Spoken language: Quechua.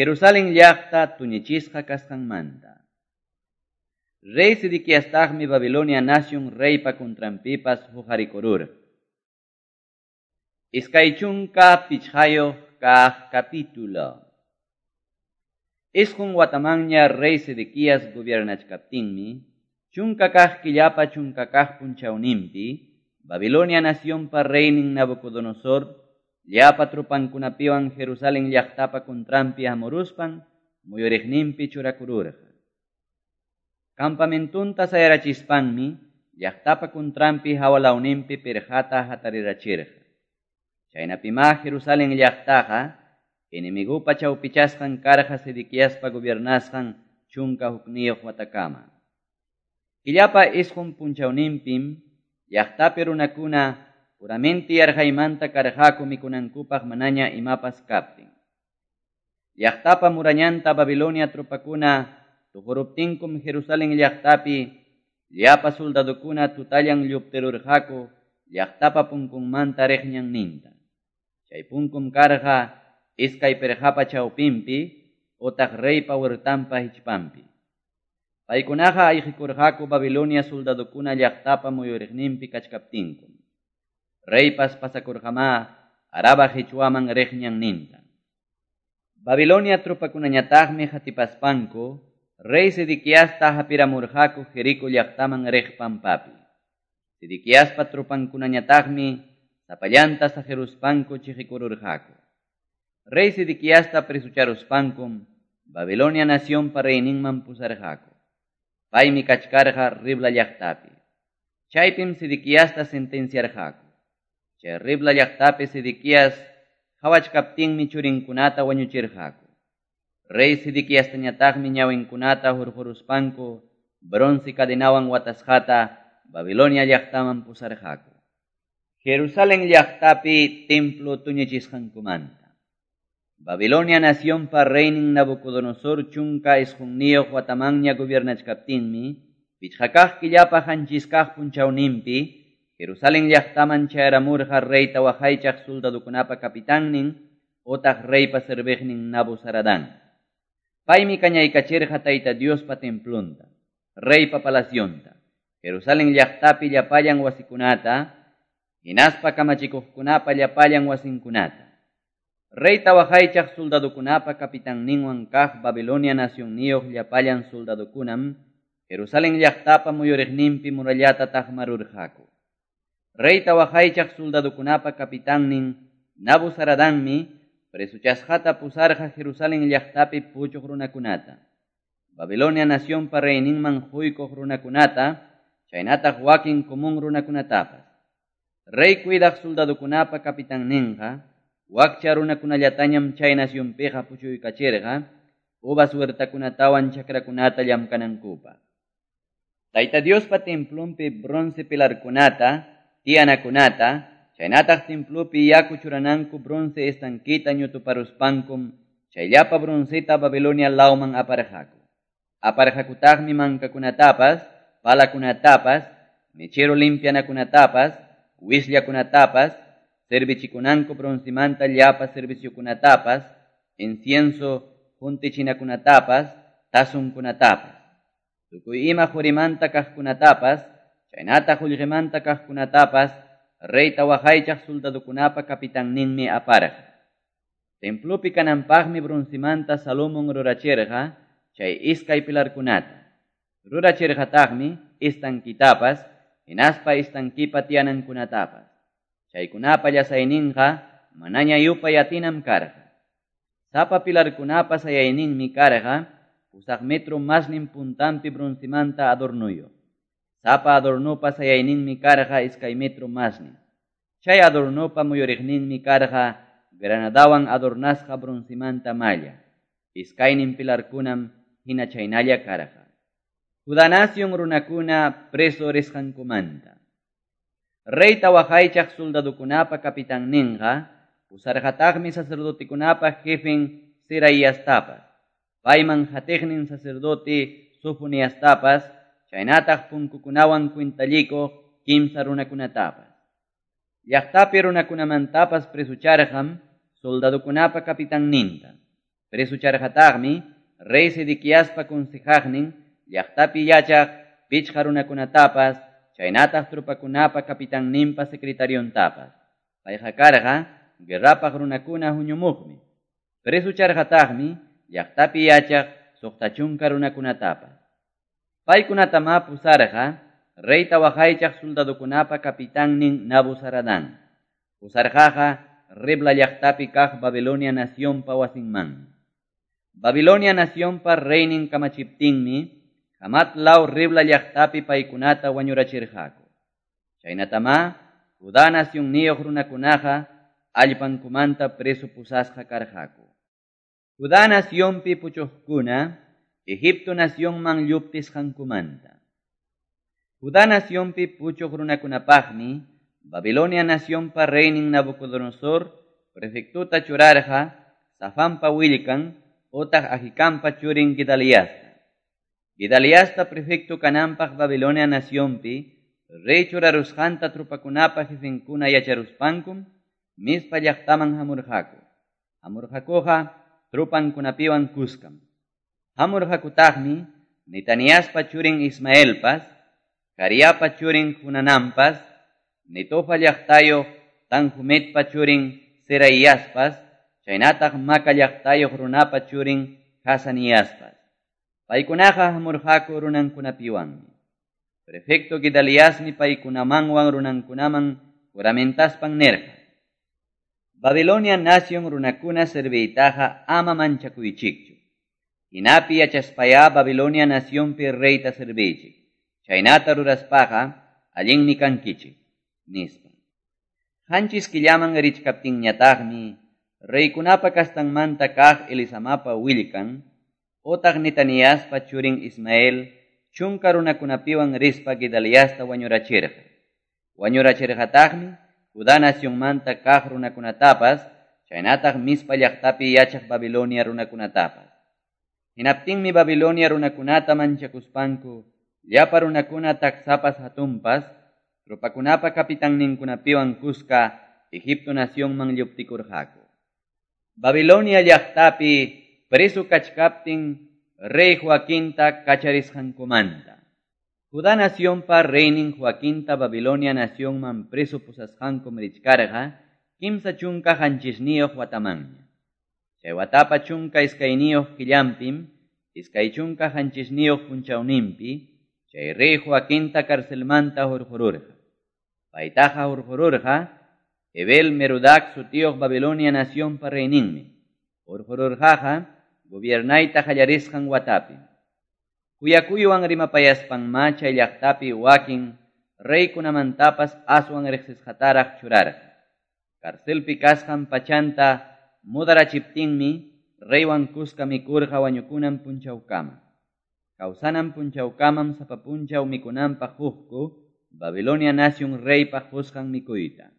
Jerusalén llaqta tuñichisqa kasqanmanta. Rey Sedequiastaqmi Babilonia nación reypa contranpipas huqarikururqa. 25 kaq capítulo. 9 watamanña rey Sedequías gobiernachkaptinmi, 10 kaq killapa 10 kaq punchawninpi, Babilonia nacionpa reynin Nabucodonosor, llapa tropankunapiwan Jerusalén llaqtapa contranpi hamuruspan, muyuriqninpi churakururqa. Campamentunta sayarachispanmi, llaqtapa contranpi hawalawninpi pirqata hatarirachirqa. Chaynapimá Jerusalén llaqtaqa, enemigupa chawpichasqan karqa Sedequiaspa gobiernasqan 11 watakama. Killapa 9 punchawninpim, llaqtapi runakuna puramenti yarqaymanta karqaku mikunankupaq manaña imapas kaptin. Llaqtapa murañanta Babilonia tropakuna tuquruptinkum Jerusalén llaqtapi llapa soldadokuna tutallan lluptirurqaku llaqtapa punkunmanta riq ñanninta. Chay punkum karqa iskay pirqapa chawpinpi utaq reypa huertanpa hichpanpi. Paykunaqa ayqikurqaku Babilonia soldadokuna llaqtapa muyuriqninpi kachkaptinkum. Reypas pasakurqamá Araba hichwaman riq ñanninta. Babilonia tropakunañataqmi hatipaspanku rey Sedequiasta hapiramurqaku Jerico llaqtaman riq pampapi. Sedequiaspa tropankunañataqmi sapallanta sajeruspanku chiqikururqaku. Rey Sedequiasta presucharuspankum Babilonia nacionpa reyninman pusarqaku. Paymi kachkarqa Ribla llaqtapi. Chaypim Sedequiasta sentenciarqaku. Chay Ribla llaqtapi Sedequías qhawachkaptinmi churinkunata wañuchirqaku. Rey Sedequiastañataqmi ñawinkunata hurquruspanku bronce cadenawan watasqata Babilonia llaqtaman pusarqaku. Jerusalén llaqtapi templo tuñichisqankumanta. Babilonia nacionpa reynin Nabucodonosor 19 watamanña gobiernachkaptinmi, 5 kaq killapa 7 kaq punchawninpi, Jerusalén llaqtaman chayaramurqa reyta waqaychaq soldadokunapa kapitannin utaq reypa serviqnin Nabuzaradán. Paymi kañaykachirqa Tayta Diospa templonta, reypa palacionta, Jerusalén llaqtapi llapallan wasikunata, hinaspa kamachikuqkunapa llapallan wasinkunata. Reyta waqaychaq soldadokunapa kapitanninwan kaq Babilonia nacionniyuq llapallan soldadokunam Jerusalén llaqtapa muyuriqninpi murallata taqmarurqaku. Reyta waqaychaq soldadokunapa kapitannin Nabuzaradanmi presuchasqata pusarqa Jerusalén llaqtapi puchuq runakunata. Babilonia nacionpa reyninman huykuq runakunata, chaynataq wakin común runakunatapas. Rey cuidaq soldadokunapa kapitanninqa, wakcha runakunallatañam chay nacionpiqa puchuykachirqa, uvas huertakunatawan chakrakunata llamkanankupaq. Tayta Diospa templonpi bronce pilarkunata, tiyanakunata, chaynataq templopi yaku churananku bronce estanquita ñutuparuspankum, chayllapa bronceta Babilonia lawman aparqaku. Aparqakutaqmi mankakunatapas, palakunatapas, mechero limpianakunatapas, wisllakunatapas, servichikunanku broncemanta llapa serviciokunatapas, incienso juntichinakunatapas, tasunkunatapas. Tukuy ima qurimanta kaqkunatapas, chaynataq qullqimanta kaqkunatapas, reyta waqaychaq soldadokunapa kapitanninmi aparqa. Templopi kananpaqmi broncemanta Salomón rurachirqa chay iskay pilarkunata. Rurachirqataqmi estanquitapas, hinaspa estanquipa tiyanankunatapas. Chaykunapa llasayninqa manaña yupay atinam karqa. Sapa pilarkunapa sayayninmi karqa 8 metro masnin puntanpi broncemanta adornuyuq. Sapa adornopa sayayninmi karqa 2 metro masnin. Chay adornopa muyuriqninmi karqa granadawan adornasqa broncemanta malla. Iskaynin pilarkunam hina chaynalla karqa. Judá nación runakuna preso risqankumanta. Reyta waqaychaq soldadokunapa kapitanninqa pusarqataqmi sacerdotekunapa jefen Seraiastapas, payman hatiqnin sacerdote Sofoniastapas, chaynataq punkukunawan cuentallikuq 3 runakunatapas. Llaqtapi runakunamantapas presucharqam soldadokunapa kapitanninta. Presocharqataqmi rey Sedequiaspa consejaqnin llaqtapi yachaq pichqa runakunatapas chaynataq tropakunapa capitanninpa secretariontapas. Payqa karqa guerrapaq runakuna huñumuqmi. Presocharqataqmi llaqtapi yachaq 60 runakunatapas. Paykunatamá pusarqa reyta waqaychaq soldadokunapa capitannin Nabuzaradán. Pusarqaqa Ribla llaqtapi kaq Babilonia nacionpa wasinmanmi. Babilonia nacionpa reynin kamachiptinmi Hamat law Ribla llaqtapi paykunata wañurachirqaku. Chaynatamá Judá nacionniyuq runakunaqa allpankumanta preso pusasqa karqaku. Judá nacionpi puchuqkuna Egipto nacionman lluptisqankumanta. Judá nacionpi puchuq runakunapaqmi Babilonia nacionpa reynin Nabucodonosor prefectuta churarqa Safanpa willkan otaq Ahikampa churin Gedaliasta. Gedaliasta prefecto kananpaq Babilonia nacionpi rey churarusqanta tropakunapa jefenkuna yacharuspankum Mizpa llaqtaman hamurqaku. Hamurqakuqa tropankunapiwan kuskam. Hamurqakutaqmi Netaniaspa churin Ismaelpas, Cariapa churin Junanampas, Netofa llaqtayuq Tanhumetpa churin Seraiaspas, chaynataq Maca llaqtayuq runapa churin Hasaniaspas. Paykunaqa hamurqaku runankunapiwanmi. Prefecto Gedaliasmi paykunamanwan runankunaman juramentaspan nirqa: Babilonia nación runakuna serviytaqa ama manchakuychikchu. Hinapi yachaspayá Babilonia nacionpi reyta serviychik. Chaynata ruraspaqa allinmi kankichik, nispa. 7 killaman richkaptinñataqmi reykunapa kastanmanta kaq Elisamapa willkan otaq Netaniaspa churin Ismael 10 runakunapiwan rispa Gedaliasta wañurachirqa. Wañurachirqataqmi Judá nacionmanta kaq runakunatapas, chaynataq Mizpa llaqtapi yachaq Babilonia runakunatapas. Hinaptinmi Babilonia runakunata manchakuspanku, llapa runakuna taksapas hatunpas, tropakunapa capitanninkunapiwan kuska Egipto nacionman lluptikurqaku. Babilonia llaqtapi preso kachkaptin rey Joaquinta kacharisqankumanta. Judá nacionpa reynin Joaquinta Babilonia nacionman preso pusasqankum richkarqa 37 watamanña. Chay watapa 12 killampim, 27 punchawninpi, chay rey Joaquinta carcelmanta hurqururqa. Paytaqa hurqururqa Ebel Merodac sutiyuq Babilonia nacionpa reyninmi. Hurqururqaqa gobiernayta qallarisqan watapi. Kuyakuywan rimapayaspanmá chay llaqtapi wakin reykunamantapas aswan riqsisqataraq churarqa. Carcelpi kasqan pachanta mudarachiptinmi reywan kuska mikurqa wañukunan punchawkama. Kawsanan punchawkamam sapa punchaw mikunanpaq hukku Babilonia nación reypaq qusqan mikuyta.